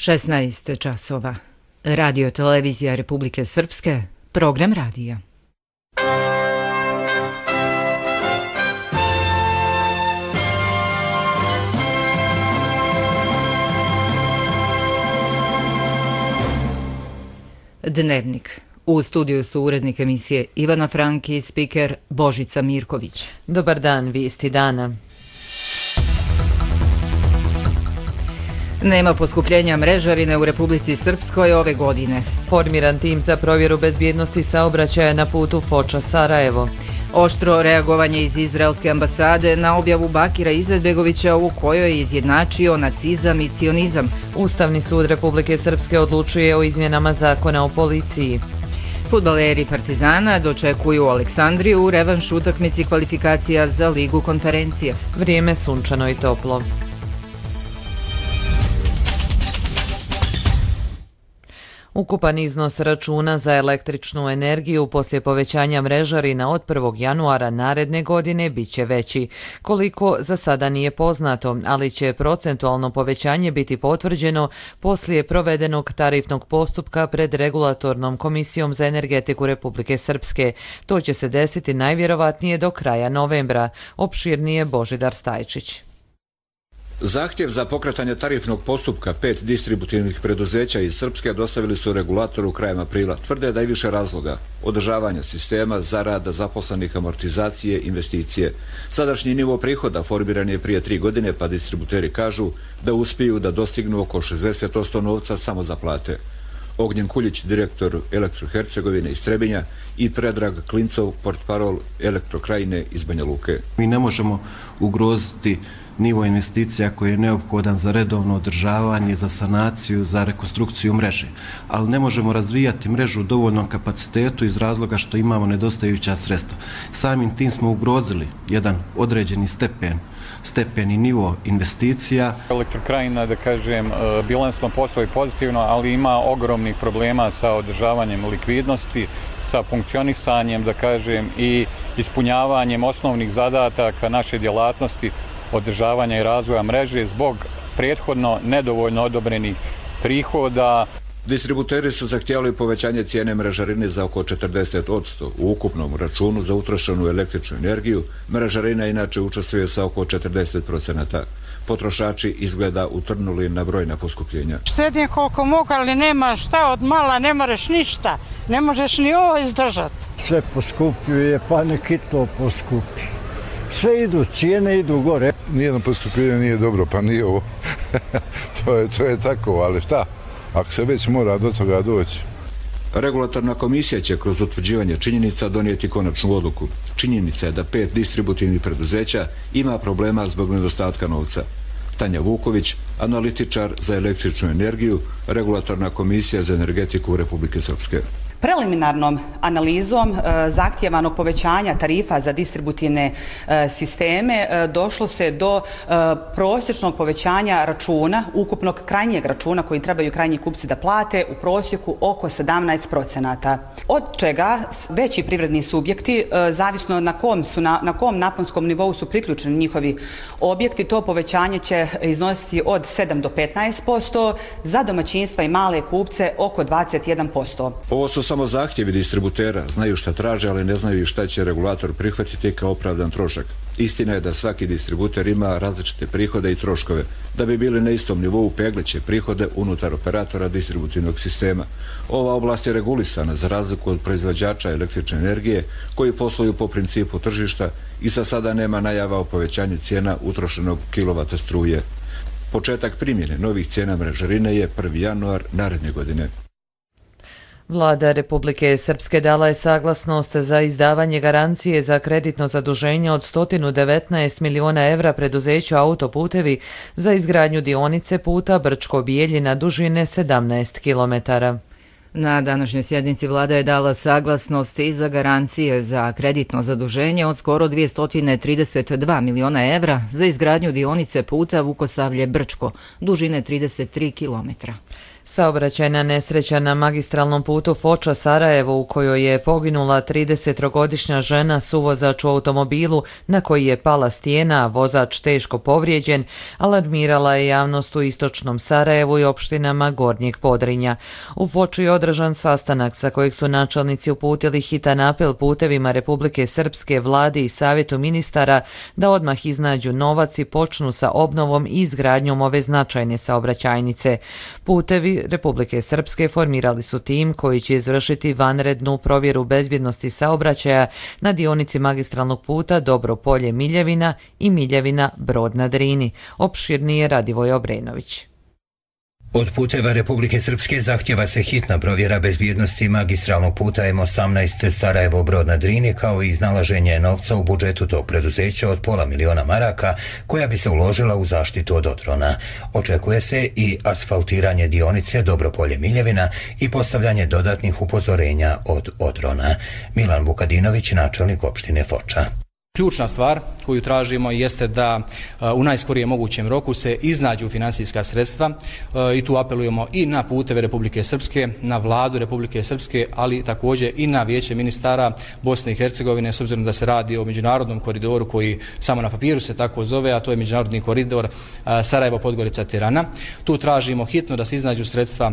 16 časova. Radio televizija Republike Srpske, program radija. Dnevnik. U studiju su urednik emisije Ivana Franki i spiker Božica Mirković. Dobar dan, vijesti dana. Nema poskupljenja mrežarine u Republici Srpskoj ove godine. Formiran tim za provjeru bezbjednosti saobraćaja na putu Foča-Sarajevo. Oštro reagovanje iz Izraelske ambasade na objavu Bakira Izetbegovića u kojoj je izjednačio nacizam i cionizam. Ustavni sud Republike Srpske odlučuje o izmjenama zakona o policiji. Fudbaleri Partizana dočekuju Aleksandriju u revanš utakmici kvalifikacija za Ligu konferencije. Vrijeme sunčano i toplo. Ukupan iznos računa za električnu energiju poslije povećanja mrežarina od 1. januara naredne godine bit će veći. Koliko za sada nije poznato, ali će procentualno povećanje biti potvrđeno poslije provedenog tarifnog postupka pred Regulatornom komisijom za energetiku Republike Srpske. To će se desiti najvjerovatnije do kraja novembra. Opširnije Božidar Stajčić. Zahtjev za pokretanje tarifnog postupka 5 distributivnih preduzeća iz Srpske dostavili su regulatoru krajem aprila. Tvrde da je više razloga: održavanja sistema, zarada, zaposlenih, amortizacije, investicije. Sadašnji nivo prihoda formiran je prije 3 godine, pa distributeri kažu da uspiju da dostignu oko 60% novca samo za plate. Ognjen Kuljić, direktor Elektrohercegovine iz Trebinja, i Predrag Klincov, portparol Elektrokrajine iz Banja Luke. Mi ne možemo ugroziti nivo investicija koji je neophodan za redovno održavanje, za sanaciju, za rekonstrukciju mreže. Ali ne možemo razvijati mrežu u dovoljnom kapacitetu iz razloga što imamo nedostajuća sredstva. Samim tim smo ugrozili jedan određeni stepen i nivo investicija. Elektrokrajina, da kažem, bilansno posluje pozitivno, ali ima ogromnih problema sa održavanjem likvidnosti, sa funkcionisanjem, da kažem, i ispunjavanjem osnovnih zadataka naše djelatnosti, održavanja i razvoja mreže zbog prethodno nedovoljno odobrenih prihoda. Distributeri su zahtijevali povećanje cijene mrežarine za oko 40%. U ukupnom računu za utrošenu električnu energiju mrežarina inače učestvuje sa oko 40%. Potrošači izgleda utrnuli na brojna poskupljenja. Štednje koliko mogu, ali nema šta od mala, ne moraš ništa. Ne možeš ni ovo izdržati. Sve poskupljuje, pa neki to poskupi. Sve idu, cijene idu gore. Nijedno poskupljenje nije dobro, pa nije ovo. to je tako, ali šta? Ako se već mora do toga doći. Regulatorna komisija će kroz utvrđivanje činjenica donijeti konačnu odluku. Činjenica je da 5 distributivnih preduzeća ima problema zbog nedostatka novca. Tanja Vuković, analitičar za električnu energiju, Regulatorna komisija za energetiku Republike Srpske. Preliminarnom analizom zahtjevanog povećanja tarifa za distributivne sisteme došlo se do prosječnog povećanja računa, ukupnog krajnjeg računa koji trebaju krajnji kupci da plate, u prosjeku oko 17%. Od čega veći privredni subjekti, zavisno na kom naponskom nivou su priključeni njihovi objekti, to povećanje će iznositi od 7 do 15%, za domaćinstva i male kupce oko 21%. Ovo su samo zahtjevi distributera, znaju šta traže, ali ne znaju šta će regulator prihvatiti kao opravdan trošak. Istina je da svaki distributer ima različite prihode i troškove. Da bi bili na istom nivou, pegleće prihode unutar operatora distributivnog sistema. Ova oblast je regulisana za razliku od proizvođača električne energije koji posluju po principu tržišta i za sada nema najava o povećanju cijena utrošenog kilovata struje. Početak primjene novih cijena mrežarine je 1. januar naredne godine. Vlada Republike Srpske dala je saglasnost za izdavanje garancije za kreditno zaduženje od 119 miliona evra preduzeću Autoputevi za izgradnju dionice puta Brčko-Bijeljina dužine 17 kilometara. Na današnjoj sjednici vlada je dala saglasnost i za garancije za kreditno zaduženje od skoro 232 miliona evra za izgradnju dionice puta Vukosavlje-Brčko, dužine 33 kilometra. Saobraćajna nesreća na magistralnom putu Foča-Sarajevo u kojoj je poginula 30-godišnja žena suvozač u automobilu na koji je pala stijena, a vozač teško povrijeđen, alarmirala je javnost u istočnom Sarajevu i opštinama Gornjeg Podrinja. U Foči je održan sastanak sa kojeg su načelnici uputili hitan apel putevima Republike Srpske, vladi i savjetu ministara da odmah iznađu novac i počnu sa obnovom i izgradnjom ove značajne saobraćajnice. Putevi Republike Srpske formirali su tim koji će izvršiti vanrednu provjeru bezbjednosti saobraćaja na dionici magistralnog puta Dobro Polje-Miljevina i Miljevina-Brod na Drini. Opširnije Radivoj Obrenović. Od puteva Republike Srpske zahtjeva se hitna provjera bezbjednosti magistralnog puta M18 Sarajevo-Brod na Drini kao i iznalaženje novca u budžetu tog preduzeća od $500.000 maraka koja bi se uložila u zaštitu od odrona. Očekuje se i asfaltiranje dionice Dobro Polje-Miljevina i postavljanje dodatnih upozorenja od odrona. Milan Vukadinović, načelnik opštine Foča. Ključna stvar koju tražimo jeste da u najskorijem mogućem roku se iznađu financijska sredstva i tu apelujemo i na puteve Republike Srpske, na vladu Republike Srpske, ali također i na vijeće ministara Bosne i Hercegovine, s obzirom da se radi o međunarodnom koridoru koji samo na papiru se tako zove, a to je međunarodni koridor Sarajevo-Podgorica-Tirana. Tu tražimo hitno da se iznađu sredstva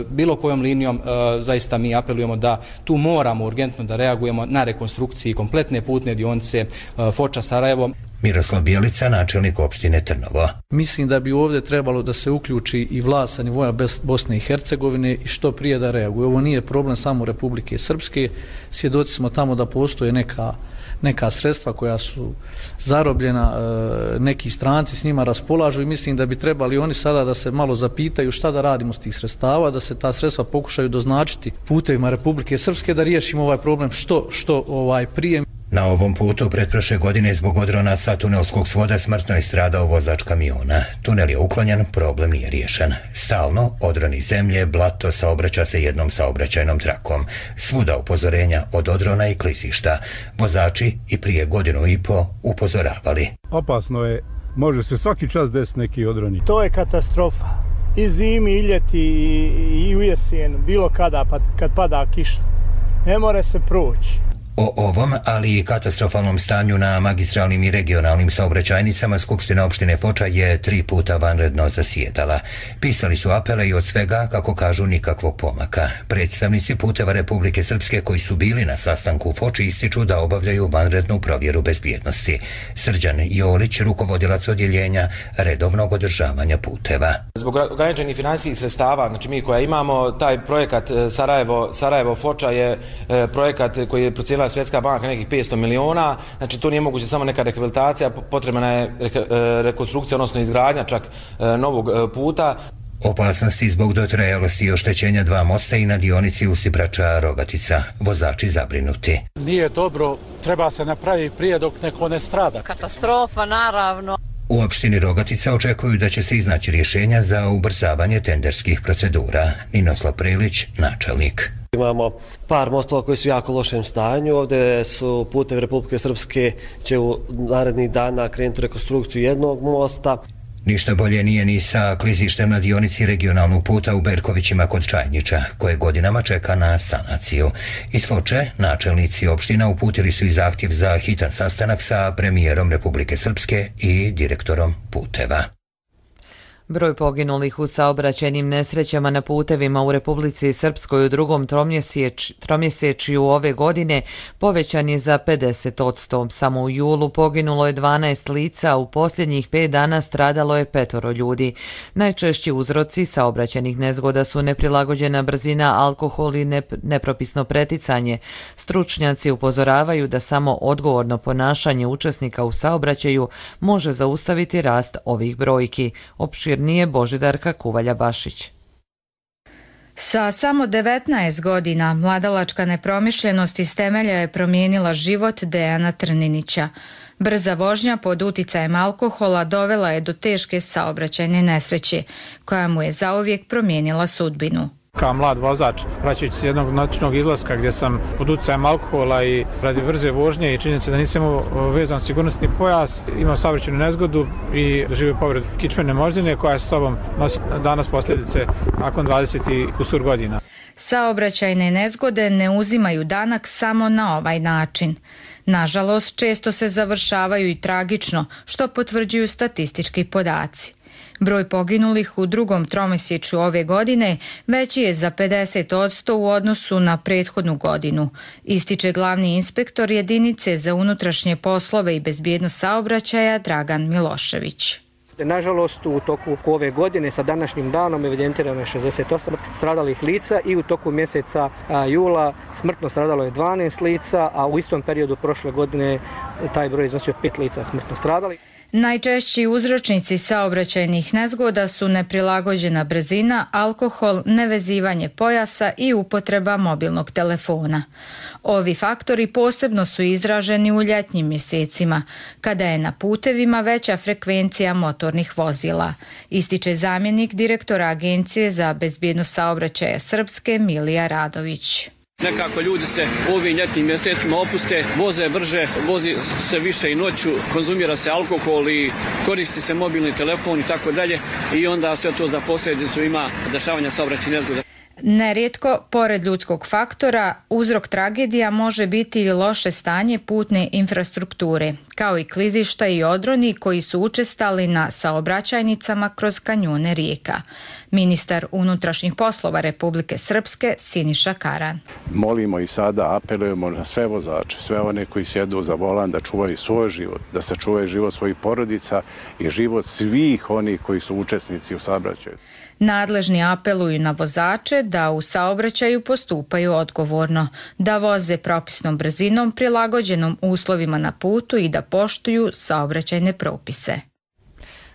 bilo kojom linijom, zaista mi apelujemo da tu moramo urgentno da reagujemo na rekonstrukciji kompletne putne dionice Foča-Sarajevo. Miroslav Bijelica, načelnik opštine Trnovo. Mislim da bi ovdje trebalo da se uključi i vlast sa nivoa Bosne i Hercegovine i što prije da reaguje. Ovo nije problem samo Republike Srpske. Svjedoci smo tamo da postoje neka sredstva koja su zarobljena, neki stranci s njima raspolažu i mislim da bi trebali oni sada da se malo zapitaju šta da radimo s tih sredstava, da se ta sredstva pokušaju doznačiti putevima Republike Srpske da riješimo ovaj problem što prije. Na ovom putu pretprošle godine zbog odrona sa tunelskog svoda smrtno je stradao vozač kamiona. Tunel je uklonjen, problem nije riješen. Stalno odroni zemlje, blato saobraća se jednom saobraćajnom trakom. Svuda upozorenja od odrona i klizišta. Vozači i prije 1.5 godine upozoravali. Opasno je, može se svaki čas desiti neki odroni. To je katastrofa. I zimi, i ljeti, i u jesen, bilo kada, pa kad pada kiša. Ne more se proći. O ovom, ali i katastrofalnom stanju na magistralnim i regionalnim saobraćajnicama Skupština opštine Foča je 3 puta vanredno zasjedala. Pisali su apele i od svega, kako kažu, nikakvog pomaka. Predstavnici puteva Republike Srpske koji su bili na sastanku u Foči ističu da obavljaju vanrednu provjeru bezbjednosti. Srđan Jolić, rukovodilac odjeljenja redovnog održavanja puteva. Zbog ograničenih financijskih sredstava, znači mi koja imamo, taj projekat Sarajevo-Foča je projekat koji je procijenila Svjetska banka nekih 500 miliona, znači to nije moguće samo neka rehabilitacija, potrebna je rekonstrukcija, odnosno izgradnja čak novog puta. Opasnosti zbog dotrajalosti i oštećenja 2 mosta i na dionici Ustibrača-Rogatica. Vozači zabrinuti. Nije dobro, treba se napraviti prije dok neko ne strada. Katastrofa, naravno. U opštini Rogatica očekuju da će se iznaći rješenja za ubrzavanje tenderskih procedura. Ninoslav Prilić, načelnik. Imamo par mostova koji su u jako lošem stanju. Ovdje su putevi Republike Srpske će u narednih dana krenuti rekonstrukciju jednog mosta. Ništa bolje nije ni sa klizištem na dionici regionalnog puta u Berkovićima kod Čajnića, koje godinama čeka na sanaciju. Iz Foče, načelnici opština uputili su i zahtjev za hitan sastanak sa premijerom Republike Srpske i direktorom puteva. Broj poginulih u saobraćajnim nesrećama na putevima u Republici Srpskoj u drugom tromjesečju ove godine povećan je za 50%. Samo u julu poginulo je 12 lica, u posljednjih 5 dana stradalo je 5 ljudi. Najčešći uzroci saobraćajnih nezgoda su neprilagođena brzina, alkohol i nepropisno preticanje. Stručnjaci upozoravaju da samo odgovorno ponašanje učesnika u saobraćaju može zaustaviti rast ovih brojki. Nije Božidarka Kuvalja-Bašić. Sa samo 19 godina mladalačka nepromišljenost iz temelja je promijenila život Dejana Trninića. Brza vožnja pod uticajem alkohola dovela je do teške saobraćajne nesreće, koja mu je zauvijek promijenila sudbinu. kao mlad vozač, vraćajući se jednog noćnog izlaska gdje sam pod utjecajem alkohola i radi brze vožnje i činjenice da nisam imao vezan sigurnosni pojas, imao saobraćajnu nezgodu i doživio povredu kičmene moždine koja sa sobom nosi danas posljedice nakon 20 i kusur godina. Saobraćajne nezgode ne uzimaju danak samo na ovaj način. Nažalost, često se završavaju i tragično, što potvrđuju statistički podaci. Broj poginulih u drugom tromjesečju ove godine veći je za 50% u odnosu na prethodnu godinu, ističe glavni inspektor jedinice za unutrašnje poslove i bezbjednost saobraćaja Dragan Milošević. Nažalost, u toku ove godine sa današnjim danom evidentirano je 68 stradalih lica i u toku mjeseca jula smrtno stradalo je 12 lica, a u istom periodu prošle godine taj broj iznosio 5 lica smrtno stradali. Najčešći uzročnici saobraćajnih nezgoda su neprilagođena brzina, alkohol, nevezivanje pojasa i upotreba mobilnog telefona. Ovi faktori posebno su izraženi u ljetnim mjesecima, kada je na putevima veća frekvencija motornih vozila, ističe zamjenik direktora Agencije za bezbjednost saobraćaja Srpske Milija Radović. Nekako ljudi se u ovim ljetnim mjesecima opuste, voze brže, vozi se više i noću, konzumira se alkohol i koristi se mobilni telefon i tako dalje i onda sve to za posljedicu ima dešavanja saobraćajnih nezgoda. Nerijetko, pored ljudskog faktora, uzrok tragedija može biti i loše stanje putne infrastrukture, kao i klizišta i odroni koji su učestali na saobraćajnicama kroz kanjone rijeka. Ministar unutrašnjih poslova Republike Srpske Siniša Karan. Molimo i sada apelujemo na sve vozače, sve one koji sjedu za volan da čuvaju svoj život, da sačuvaju život svojih porodica i život svih onih koji su učesnici u saobraćaju. Nadležni apeluju na vozače da u saobraćaju postupaju odgovorno, da voze propisnom brzinom prilagođenom uslovima na putu i da poštuju saobraćajne propise.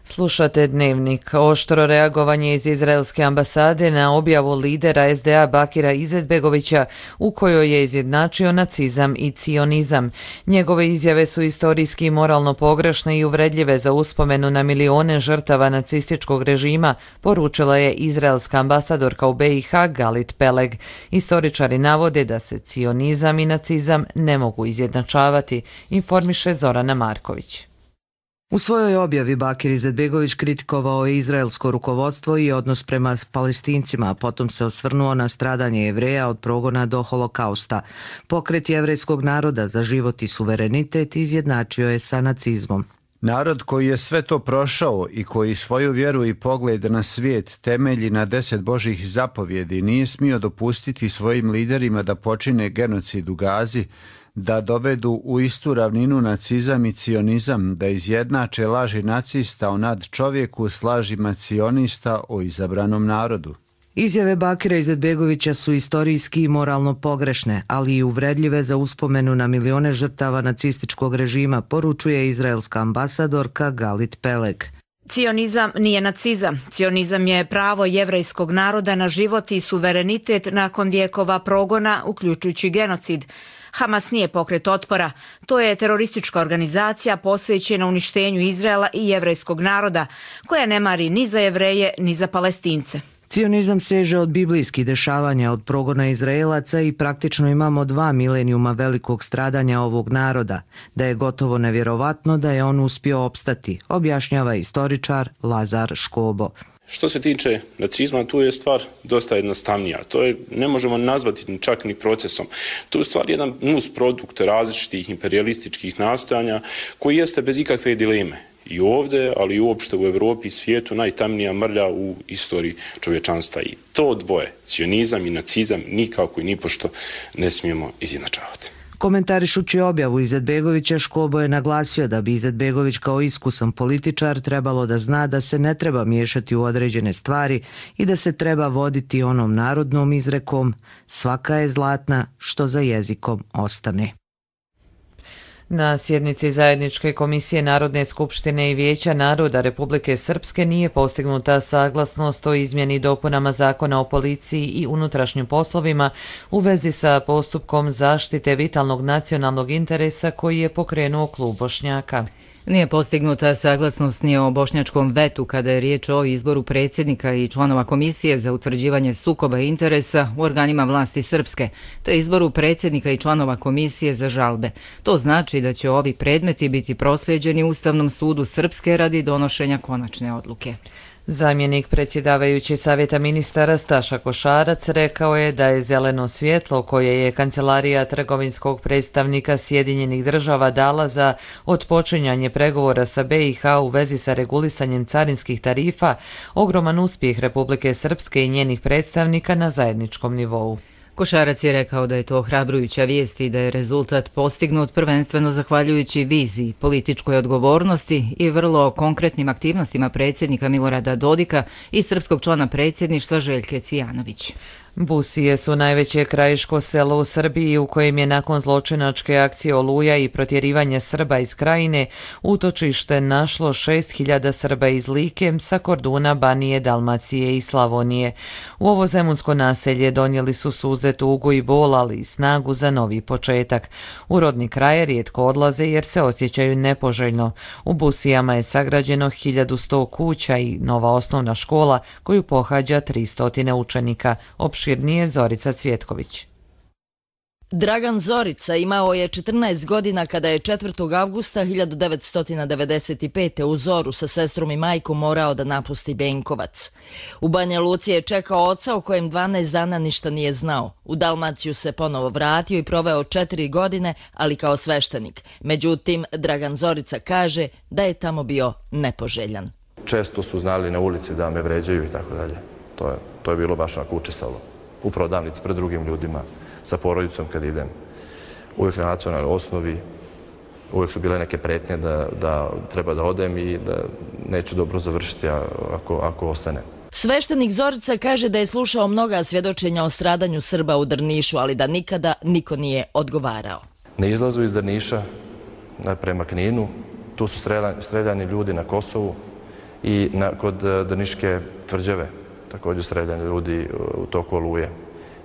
Slušate Dnevnik. Oštro reagovanje iz izraelske ambasade na objavu lidera SDA Bakira Izetbegovića u kojoj je izjednačio nacizam i cionizam. Njegove izjave su istorijski i moralno pogrešne i uvredljive za uspomenu na milione žrtava nacističkog režima, poručila je izraelska ambasadorka u BiH Galit Peleg. Istoričari navode da se cionizam i nacizam ne mogu izjednačavati, informiše Zorana Marković. U svojoj objavi Bakir Izetbegović kritikovao je izraelsko rukovodstvo i odnos prema Palestincima, a potom se osvrnuo na stradanje Jevreja od progona do holokausta. Pokret jevrejskog naroda za život i suverenitet izjednačio je sa nacizmom. Narod koji je sve to prošao i koji svoju vjeru i pogled na svijet temelji na 10 Božjih zapovjedi nije smio dopustiti svojim liderima da počine genocid u Gazi, da dovedu u istu ravninu nacizam i cionizam, da izjednače laži nacista o nadčovjeku s lažima cionista o izabranom narodu. Izjave Bakira Izetbegovića su istorijski i moralno pogrešne, ali i uvredljive za uspomenu na milione žrtava nacističkog režima, poručuje izraelska ambasadorka Galit Peleg. Cionizam nije nacizam. Cionizam je pravo jevrejskog naroda na život i suverenitet nakon vjekova progona, uključujući genocid. Hamas nije pokret otpora. To je teroristička organizacija posvećena uništenju Izraela i jevrejskog naroda, koja ne mari ni za Jevreje ni za Palestince. Cionizam seže od biblijskih dešavanja, od progona Izraelaca i praktično imamo 2 milenijuma velikog stradanja ovog naroda, da je gotovo nevjerovatno da je on uspio opstati, objašnjava istoričar Lazar Škobo. Što se tiče nacizma, tu je stvar dosta jednostavnija. To je, ne možemo nazvati čak ni procesom. To je stvar jedan nus produkt različitih imperialističkih nastojanja koji jeste bez ikakve dileme. I ovdje, ali i uopšte u Evropi i svijetu najtamnija mrlja u istoriji čovječanstva. I to dvoje, cionizam i nacizam, nikako i nipošto ne smijemo izjednačavati. Komentarišući objavu Izetbegovića, Škobo je naglasio da bi Izetbegović kao iskusan političar trebalo da zna da se ne treba miješati u određene stvari i da se treba voditi onom narodnom izrekom svaka je zlatna što za jezikom ostane. Na sjednici Zajedničke komisije Narodne skupštine i Vijeća naroda Republike Srpske nije postignuta saglasnost o izmjeni i dopunama Zakona o policiji i unutrašnjim poslovima u vezi sa postupkom zaštite vitalnog nacionalnog interesa koji je pokrenuo klub Bošnjaka. Nije postignuta saglasnost ni o bošnjačkom vetu kada je riječ o izboru predsjednika i članova komisije za utvrđivanje sukoba interesa u organima vlasti Srpske, te izboru predsjednika i članova komisije za žalbe. To znači da će ovi predmeti biti proslijeđeni Ustavnom sudu Srpske radi donošenja konačne odluke. Zamjenik predsjedavajući Savjeta ministara Staša Košarac rekao je da je zeleno svjetlo koje je Kancelarija trgovinskog predstavnika Sjedinjenih država dala za otpočinjanje pregovora sa BiH u vezi sa regulisanjem carinskih tarifa ogroman uspjeh Republike Srpske i njenih predstavnika na zajedničkom nivou. Košarac je rekao da je to ohrabrujuća vijest i da je rezultat postignut prvenstveno zahvaljujući viziji, političkoj odgovornosti i vrlo konkretnim aktivnostima predsjednika Milorada Dodika i srpskog člana predsjedništva Željke Cvijanović. Busije su najveće krajiško selo u Srbiji u kojem je nakon zločinačke akcije Oluja i protjerivanja Srba iz Krajine utočište našlo 6.000 Srba iz Like sa Korduna, Banije, Dalmacije i Slavonije. U ovo zemunsko naselje donijeli su suze, tugu i bol, ali i snagu za novi početak. U rodni kraj rijetko odlaze jer se osjećaju nepoželjno. U Busijama je sagrađeno 1100 kuća i nova osnovna škola koju pohađa 300 učenika. Opširnije Zorica Cvjetković. Dragan Zorica imao je 14 godina kada je 4. avgusta 1995. u zoru sa sestrom i majkom morao da napusti Benkovac. U Banja Luci je čekao oca o kojem 12 dana ništa nije znao. U Dalmaciju se ponovo vratio i proveo 4 godine, ali kao sveštenik. Međutim, Dragan Zorica kaže da je tamo bio nepoželjan. Često su znali na ulici da me vređaju i tako dalje. To je bilo baš onako učestalo. U prodavnici pred drugim ljudima, sa porodicom kad idem. Uvijek na nacionalnoj osnovi, uvijek su bile neke pretnje da treba da odem i da neću dobro završiti ako ostane. Sveštenik Zorica kaže da je slušao mnoga svjedočenja o stradanju Srba u Drnišu, ali da nikada niko nije odgovarao. Na izlazu iz Drniša prema Kninu, tu su streljani ljudi na Kosovu i kod Drniške tvrđave. Također streljani ljudi u toku Oluje.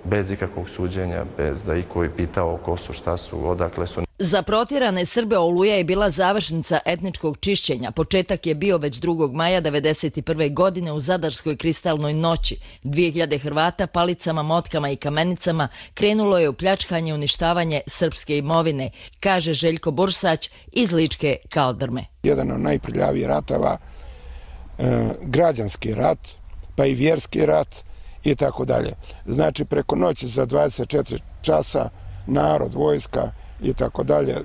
Bez ikakvog suđenja, bez da iko je pitao ko su, šta su, odakle su. Za protjerane Srbe Oluja je bila završnica etničkog čišćenja. Početak je bio već 2. maja 1991. godine u Zadarskoj kristalnoj noći. 2000 Hrvata palicama, motkama i kamenicama krenulo je u pljačkanje i uništavanje srpske imovine, kaže Željko Bursać iz Ličke Kaldrme. Jedan od najprljavijih ratava, građanski rat, pa i vjerski rat i tako dalje. Znači, preko noći za 24 časa narod, vojska i tako dalje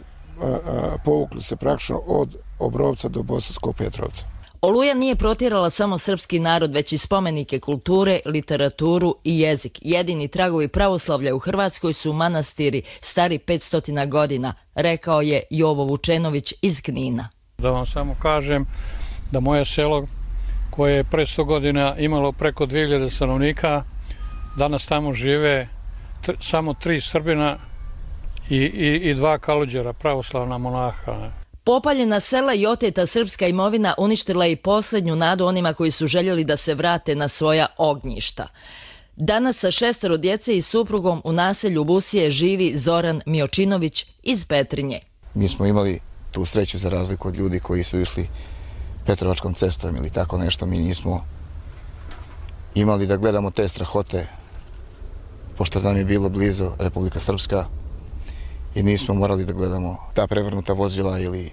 povukli se praktično od Obrovca do Bosanskog Petrovca. Oluja nije protjerala samo srpski narod, već i spomenike kulture, literaturu i jezik. Jedini tragovi pravoslavlja u Hrvatskoj su manastiri stari 500 godina, rekao je Jovo Vučenović iz Knina. Da vam samo kažem da moje selo koje je pre 100 godina imalo preko 2000 stanovnika, danas tamo žive samo 3 Srbina i 2 Kalođera, pravoslavna monaha. Popaljena sela i oteta srpska imovina uništila i posljednju nadu onima koji su željeli da se vrate na svoja ognjišta. Danas sa 6 djece i suprugom u naselju Busije živi Zoran Miočinović iz Petrinje. Mi smo imali tu sreću za razliku od ljudi koji su išli Petrovačkom cestom ili tako nešto. Mi nismo imali da gledamo te strahote, pošto nam je bilo blizu Republika Srpska i nismo morali da gledamo ta prevrnuta vozila ili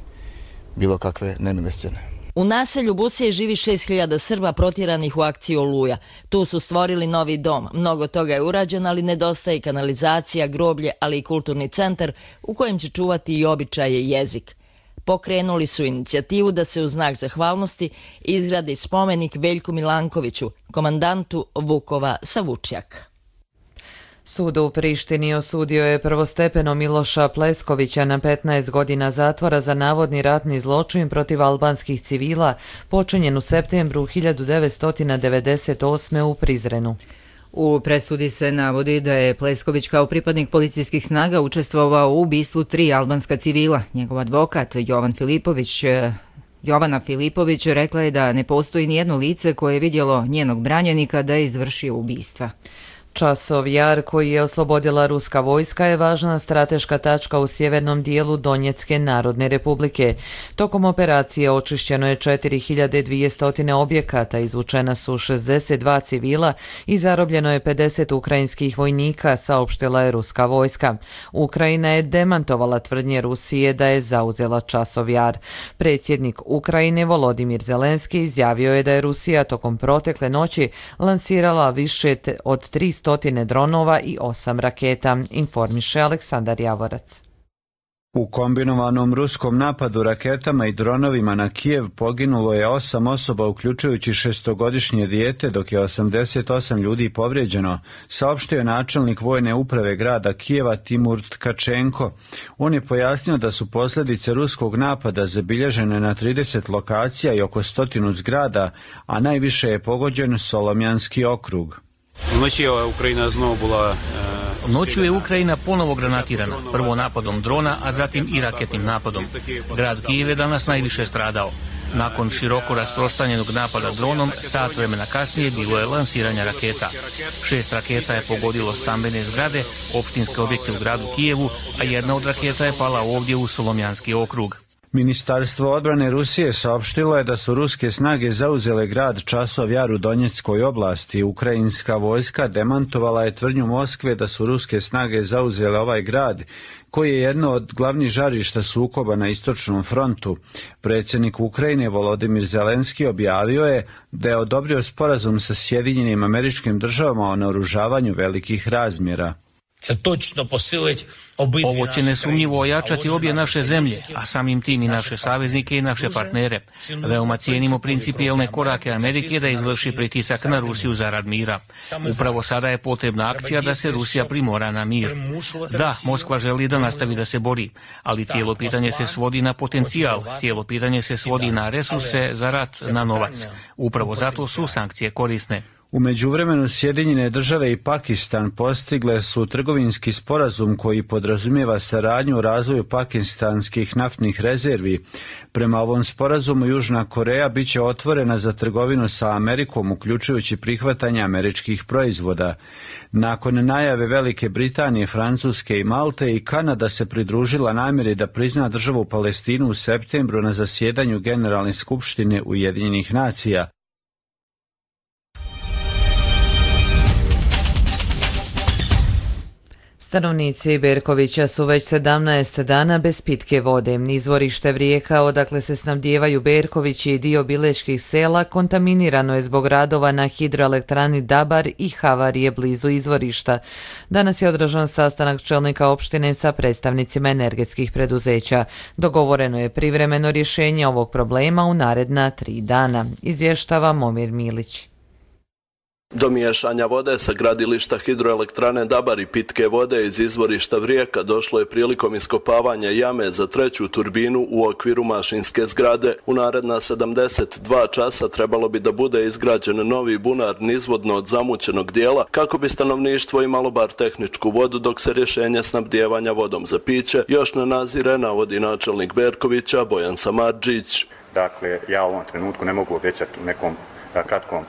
bilo kakve nemile scene. U naselju Busije živi 6.000 Srba protjeranih u akciji Oluja. Tu su stvorili novi dom. Mnogo toga je urađeno, ali nedostaje kanalizacija, groblje, ali i kulturni centar u kojem će čuvati i običaje i jezik. Pokrenuli su inicijativu da se u znak zahvalnosti izgradi spomenik Veljku Milankoviću, komandantu Vukova sa Vučjaka. Sud u Prištini osudio je prvostepeno Miloša Pleskovića na 15 godina zatvora za navodni ratni zločin protiv albanskih civila počinjen u septembru 1998. u Prizrenu. U presudi se navodi da je Plesković kao pripadnik policijskih snaga učestvovao u ubistvu 3 albanska civila. Njegov advokat Jovana Filipović rekla je da ne postoji nijedno lice koje je vidjelo njenog branjenika da je izvršio ubistva. Časov Jar, koji je oslobodila ruska vojska, je važna strateška tačka u sjevernom dijelu Donjecke Narodne Republike. Tokom operacije očišćeno je 4200 objekata, izvučena su 62 civila i zarobljeno je 50 ukrajinskih vojnika, saopštila je ruska vojska. Ukrajina je demantovala tvrdnje Rusije da je zauzela Časov Jar. Predsjednik Ukrajine Volodimir Zelenski izjavio je da je Rusija tokom protekle noći lansirala više od 300 dronova i 8 raketa, informiše Aleksandar Javorac. U kombinovanom ruskom napadu raketama i dronovima na Kijev poginulo je 8 osoba, uključujući 6-godišnje dijete, dok je 88 ljudi povrijeđeno, saopštio je načelnik vojne uprave grada Kijeva Timur Tkačenko. On je pojasnio da su posljedice ruskog napada zabilježene na 30 lokacija i oko 100 zgrada, a najviše je pogođen Solomjanski okrug. Noću je Ukrajina ponovo granatirana, prvo napadom drona, a zatim i raketnim napadom. Grad Kijev je danas najviše stradao. Nakon široko rasprostranjenog napada dronom, sat vremena kasnije bilo je lansiranja raketa. 6 raketa je pogodilo stambene zgrade, opštinske objekte u gradu Kijevu, a jedna od raketa je pala ovdje u Solomjanski okrug. Ministarstvo odbrane Rusije saopštilo je da su ruske snage zauzele grad Časov Jar u Donjeckoj oblasti. Ukrajinska vojska demantovala je tvrdnju Moskve da su ruske snage zauzele ovaj grad, koji je jedno od glavnih žarišta sukoba na istočnom frontu. Predsjednik Ukrajine Volodimir Zelenski objavio je da je odobrio sporazum sa Sjedinjenim Američkim Državama o naoružavanju velikih razmjera. Ovo će nesumnjivo ojačati obje naše zemlje, a samim tim i naše saveznike i naše partnere. Veoma cijenimo principijelne korake Amerike da izvrši pritisak na Rusiju zarad mira. Upravo sada je potrebna akcija da se Rusija primora na mir. Da, Moskva želi da nastavi da se bori, ali cijelo pitanje se svodi na potencijal, cijelo pitanje se svodi na resurse za rat, na novac. Upravo zato su sankcije korisne. U međuvremenu Sjedinjene Države i Pakistan postigle su trgovinski sporazum koji podrazumijeva saradnju u razvoju pakistanskih naftnih rezervi. Prema ovom sporazumu Južna Koreja bit će otvorena za trgovinu sa Amerikom, uključujući prihvatanje američkih proizvoda. Nakon najave Velike Britanije, Francuske i Malte, i Kanada se pridružila namjeri da prizna državu Palestinu u septembru na zasjedanju Generalne skupštine Ujedinjenih nacija. Stanovnici Berkovića su već 17 dana bez pitke vode. Izvorište Vrijeka, odakle se snabdijevaju Berkovići i dio bileških sela, kontaminirano je zbog radova na hidroelektrani Dabar i havarije blizu izvorišta. Danas je održan sastanak čelnika opštine sa predstavnicima energetskih preduzeća. Dogovoreno je privremeno rješenje ovog problema u naredna 3 dana, izvještava Momir Milić. Do miješanja vode sa gradilišta hidroelektrane Dabar i pitke vode iz izvorišta Vrijeka došlo je prilikom iskopavanja jame za 3. turbinu u okviru mašinske zgrade. U naredna 72 časa trebalo bi da bude izgrađen novi bunar nizvodno od zamućenog dijela kako bi stanovništvo imalo bar tehničku vodu dok se rješenje snabdijevanja vodom za piće još ne nazire, navodi načelnik Berkovića Bojan Samardžić. Dakle, ja u ovom trenutku ne mogu obećati u nekom kratkom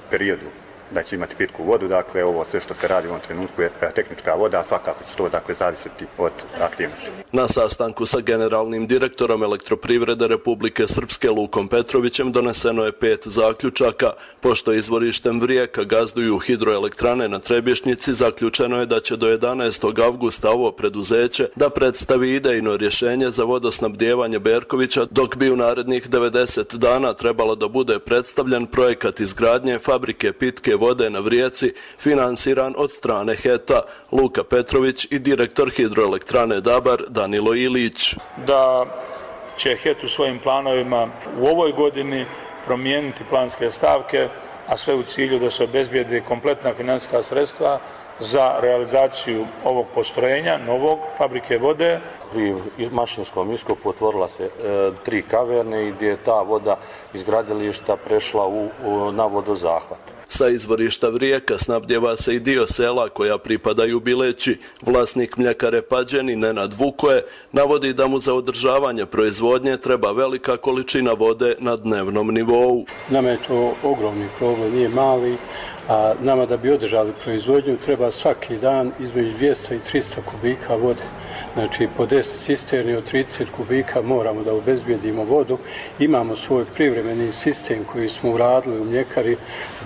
periodu da će imati pitku vodu, dakle ovo sve što se radi u ovom trenutku je tehnička voda, a svakako će to zavisiti od aktivnosti. Na sastanku sa generalnim direktorom Elektroprivrede Republike Srpske Lukom Petrovićem doneseno je 5 zaključaka. Pošto izvorištem Vrijeka gazduju hidroelektrane na Trebješnjici, zaključeno je da će do 11. avgusta ovo preduzeće da predstavi idejno rješenje za vodosnabdijevanje Berkovića, dok bi u narednih 90 dana trebalo da bude predstavljen projekat izgradnje fabrike pitke vode na Vrijeci, finansiran od strane HET-a. Luka Petrović i direktor hidroelektrane Dabar Danilo Ilić. Da će HET u svojim planovima u ovoj godini promijeniti planske stavke, a sve u cilju da se obezbijede kompletna financijska sredstva za realizaciju ovog postrojenja, novog fabrike vode. Pri mašinskom iskopu otvorila se 3 kaverne i gdje je ta voda iz gradilišta prešla na vodozahvat. Sa izvorišta Vrijeka snabdjeva se i dio sela koja pripadaju Bileći. Vlasnik mljekare Pađeni, Nenad Vukoje, navodi da mu za održavanje proizvodnje treba velika količina vode na dnevnom nivou. Nama je to ogromni problem, nije mali, a nama da bi održali proizvodnju treba svaki dan između 200 i 300 kubika vode. Znači, po 10 cisterni od 30 kubika moramo da obezbijedimo vodu. Imamo svoj privremeni sistem koji smo uradili u mljekari,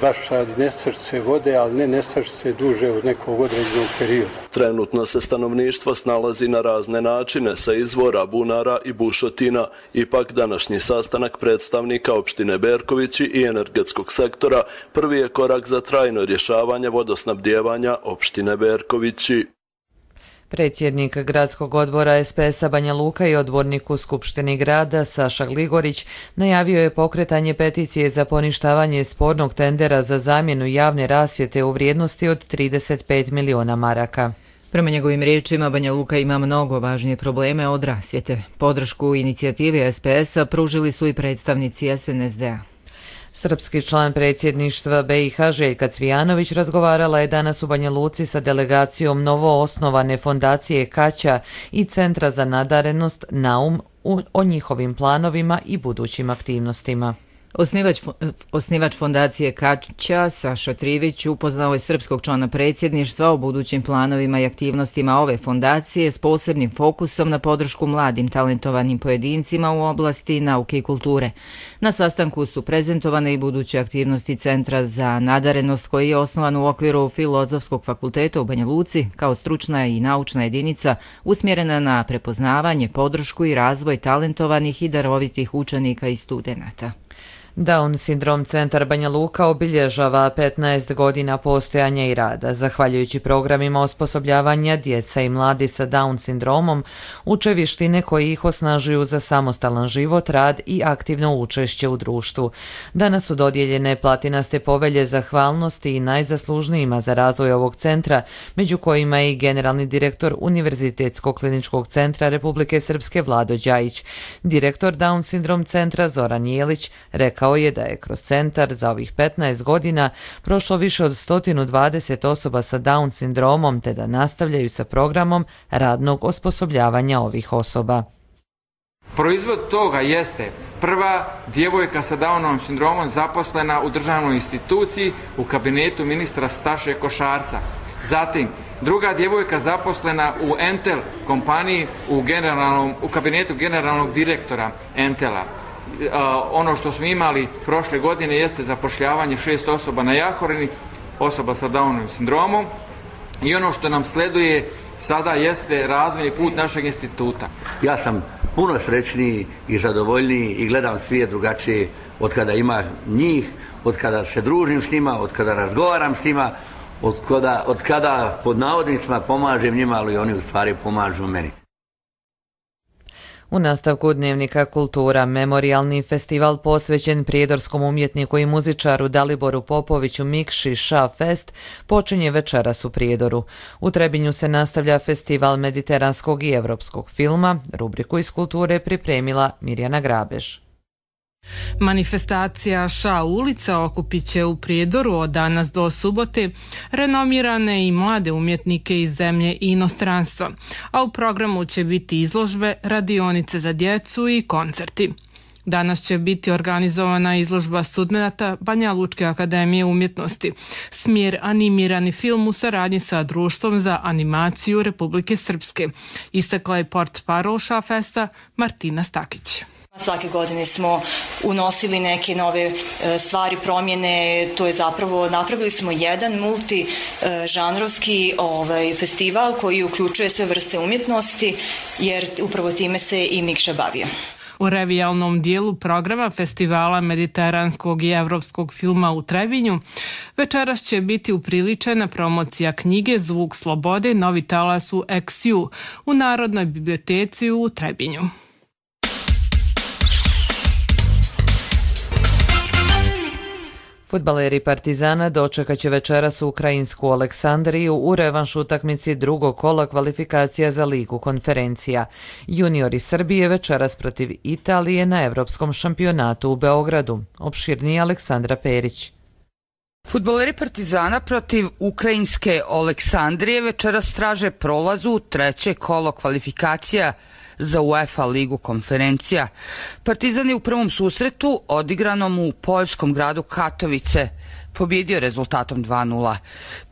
baš radi nestašice vode, ali ne nestašice duže od nekog određenog perioda. Trenutno se stanovništvo snalazi na razne načine sa izvora, bunara i bušotina. Ipak današnji sastanak predstavnika opštine Berkovići i energetskog sektora prvi je korak za trajno rješavanje vodosnabdijevanja opštine Berkovići. Predsjednik gradskog odbora SPS-a Banja Luka i odbornik u Skupštini grada Saša Gligorić najavio je pokretanje peticije za poništavanje spornog tendera za zamjenu javne rasvjete u vrijednosti od 35 miliona maraka. Prema njegovim riječima, Banja Luka ima mnogo važnije probleme od rasvjete. Podršku inicijativi SPS-a pružili su i predstavnici SNSD-a. Srpski član predsjedništva BiH Željka Cvijanović razgovarala je danas u Banja Luci sa delegacijom novoosnovane fondacije Kaća i Centra za nadarenost Naum o njihovim planovima i budućim aktivnostima. Osnivač fondacije Kaća, Saša Trivić, upoznao je srpskog člana predsjedništva o budućim planovima i aktivnostima ove fondacije s posebnim fokusom na podršku mladim talentovanim pojedincima u oblasti nauke i kulture. Na sastanku su prezentovane i buduće aktivnosti Centra za nadarenost koji je osnovan u okviru Filozofskog fakulteta u Banja Luci kao stručna i naučna jedinica usmjerena na prepoznavanje, podršku i razvoj talentovanih i darovitih učenika i studenata. Down sindrom centar Banja Luka obilježava 15 godina postojanja i rada. Zahvaljujući programima osposobljavanja, djeca i mladi sa Down sindromom uče vještine koji ih osnažuju za samostalan život, rad i aktivno učešće u društvu. Danas su dodijeljene platinaste povelje zahvalnosti i najzaslužnijima za razvoj ovog centra, među kojima je i generalni direktor Univerzitetskog kliničkog centra Republike Srpske Vlado Đajić. Direktor Down sindrom centra Zoran Jelić rekao je da je kroz centar za ovih 15 godina prošlo više od 120 osoba sa Down sindromom, te da nastavljaju sa programom radnog osposobljavanja ovih osoba. Proizvod toga jeste prva djevojka sa Downovim sindromom zaposlena u državnoj instituciji u kabinetu ministra Staše Košarca. Zatim, druga djevojka zaposlena u Entel kompaniji u kabinetu generalnog direktora Entela. Ono što smo imali prošle godine jeste zapošljavanje 6 osoba na Jahorini, osoba sa Downovim sindromom, i ono što nam sleduje sada jeste razvojni put našeg instituta. Ja sam puno srećniji i zadovoljniji i gledam svijet drugačije od kada ima njih, od kada se družim s njima, od kada razgovaram s njima, od kada pod navodnicima pomažem njima, ali oni u stvari pomažu meni. U nastavku Dnevnika kultura, memorijalni festival posvećen prijedorskom umjetniku i muzičaru Daliboru Popoviću Mikši Ša Fest počinje večeras u Prijedoru. U Trebinju se nastavlja festival mediteranskog i evropskog filma. Rubriku iz kulture pripremila Mirjana Grabež. Manifestacija Ša ulica okupit će u Prijedoru od danas do subote renomirane i mlade umjetnike iz zemlje i inostranstva, a u programu će biti izložbe, radionice za djecu i koncerti. Danas će biti organizovana izložba studenata Banja Lučke akademije umjetnosti, smjer animirani film u saradnji sa Društvom za animaciju Republike Srpske, istakla je portparol Ša Festa Martina Stakić. Svake godine smo unosili neke nove stvari, promjene, to je zapravo, napravili smo jedan multižanrovski festival koji uključuje sve vrste umjetnosti, jer upravo time se i Mikša bavio. U revijalnom dijelu programa Festivala mediteranskog i evropskog filma u Trebinju večeras će biti upriličena promocija knjige Zvuk slobode, novi talas u XU u Narodnoj biblioteci u Trebinju. Fudbaleri Partizana dočekat će večeras u ukrajinsku Aleksandriju u revanš utakmici drugog kola kvalifikacija za Ligu konferencija. Juniori Srbije večeras protiv Italije na Evropskom šampionatu u Beogradu. Opširnije Aleksandra Perić. Fudbaleri Partizana protiv ukrajinske Aleksandrije večeras traže prolaz u treće kolo kvalifikacija za UEFA ligu konferencija. Partizan je u prvom susretu odigranom u poljskom gradu Katovice pobjedio rezultatom 2:0.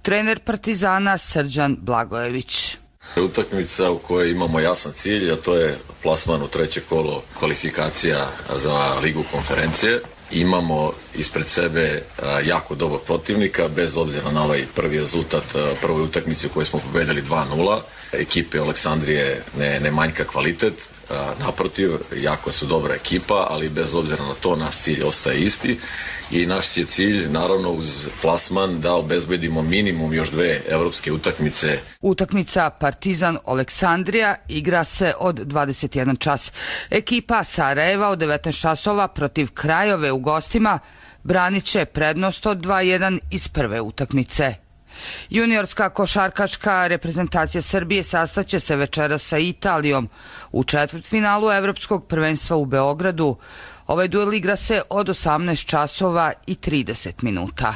Trener Partizana Srđan Blagojević. Utakmica u kojoj imamo jasan cilj, a to je plasman u treće kolo kvalifikacija za ligu konferencije. Imamo ispred sebe jako dobrog protivnika, bez obzira na ovaj prvi rezultat prvoj utakmici u kojoj smo pobedili 2:0. Ekipe Aleksandrije ne manjka kvalitet, naprotiv, jako su dobra ekipa, ali bez obzira na to naš cilj ostaje isti i naš je cilj, naravno uz plasman, da obezbedimo minimum još 2 evropske utakmice. Utakmica Partizan Aleksandrija igra se od 21 čas. Ekipa Sarajeva od 19 časova protiv Krajove u gostima branit će prednost od 2:1 iz prve utakmice. Juniorska košarkaška reprezentacija Srbije sastaće se večeras sa Italijom u četvrtfinalu Evropskog prvenstva u Beogradu. Ovaj duel igra se od 18 časova i 30 minuta.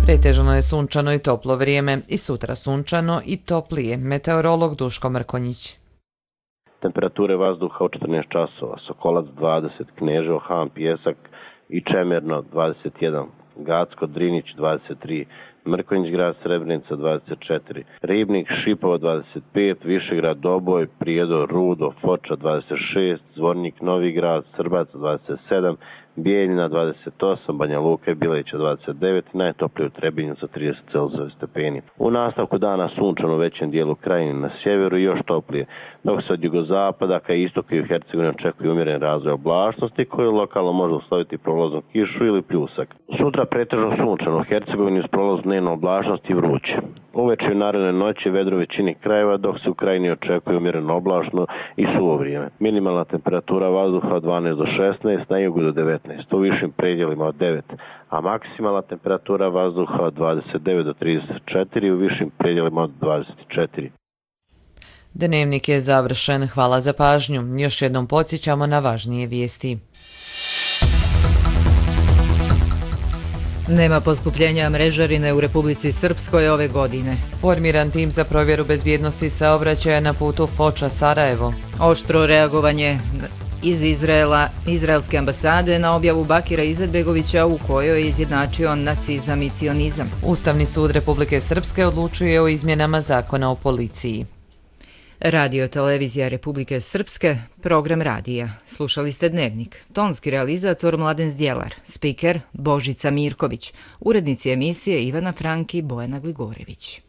Pretežno je sunčano i toplo vrijeme i sutra sunčano i toplije. Meteorolog Duško Mrkonjić. Temperature vazduha od 14 časova, Sokolac 20, Kneževo, Han, Pjesak i Čemerno 21, Gacko, Drinić 23, Mrkonjić grad, Srebrenica 24, Ribnik, Šipovo 25, Višegrad, Doboj, Prijedor, Rudo, Foča 26, Zvornik, Novi grad, Srbac 27, Bijeljina 28, Banja Luka i Bileća 29, najtoplije u Trebinju sa 30 stepeni. U nastavku dana sunčano u većem dijelu krajine na sjeveru i još toplije, dok se od jugozapada ka istoku i u Hercegovini očekuje umjeren razvoj oblačnosti koji lokalno može usloviti prolaznu kišu ili pljusak. Sutra pretežno sunčano u Hercegovini uz prolaznu dnevnu oblačnost i vruće. Uveče i u narednoj noći vedro u većini krajeva, dok se u krajini očekuje umjereno oblačno i suvo vrijeme. Minimalna temperatura vazduha od 12 do 16, na jugu do 19, u višim predjelima od 9, a maksimalna temperatura vazduha od 29 do 34, u višim predjelima od 24. Dnevnik je završen. Hvala za pažnju. Još jednom podsjećamo na važnije vijesti. Nema poskupljenja mrežarine u Republici Srpskoj ove godine. Formiran tim za provjeru bezbjednosti saobraćaja na putu Foča-Sarajevo. Oštro reagovanje iz Izraelske ambasade na objavu Bakira Izetbegovića u kojoj je izjednačio nacizam i cionizam. Ustavni sud Republike Srpske odlučuje o izmjenama zakona o policiji. Radio televizija Republike Srpske, program radija. Slušali ste Dnevnik. Tonski realizator Mladen Zdjelar, spiker Božica Mirković, urednici emisije Ivana Franki i Bojana Gligorević.